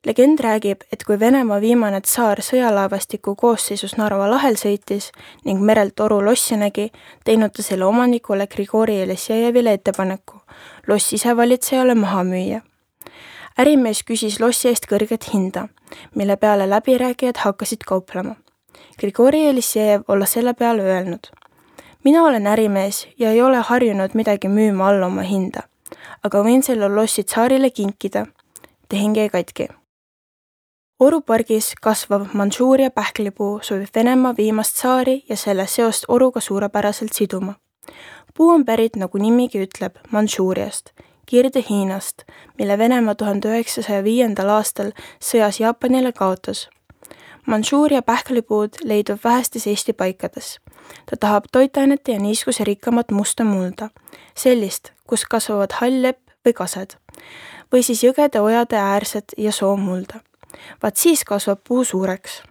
Legend räägib, et kui Venemaa viimane tsaar sõjalaevastiku koosseisus Narva lahel sõitis ning merelt toru lossi nägi, teinud ta selle omanikule Grigori Jeleseevile ettepaneku loss isevalitsejale maha müüa. Ärimees küsis lossi eest kõrget hinda, mille peale läbirääkijad hakkasid kauplema. Grigori Jeleseev olla selle peale öelnud: mina olen ärimees ja ei ole harjunud midagi müüma alla oma hinda, aga võin selle lossi tsaarile kinkida. Tehing jäi katki. Orupargis kasvav Mandžuuria pähklipuu sobib Venemaa viimast tsaari ja selle seost oruga suurepäraselt siduma. Puu on pärit, nagu nimigi ütleb, Mandžuuriast, Kirde-Hiinast, mille Venemaa 1905. aastal sõjas Jaapanile kaotas. Mandžuuria pähklipuud leidub vähestes Eesti paikades. Ta tahab toitainete ja niiskuse rikkamat musta mulda, sellist, kus kasvavad hall-lepp või kased, või siis jõgede ojade äärsed ja soomulda. Vaat siis kasvab puu suureks.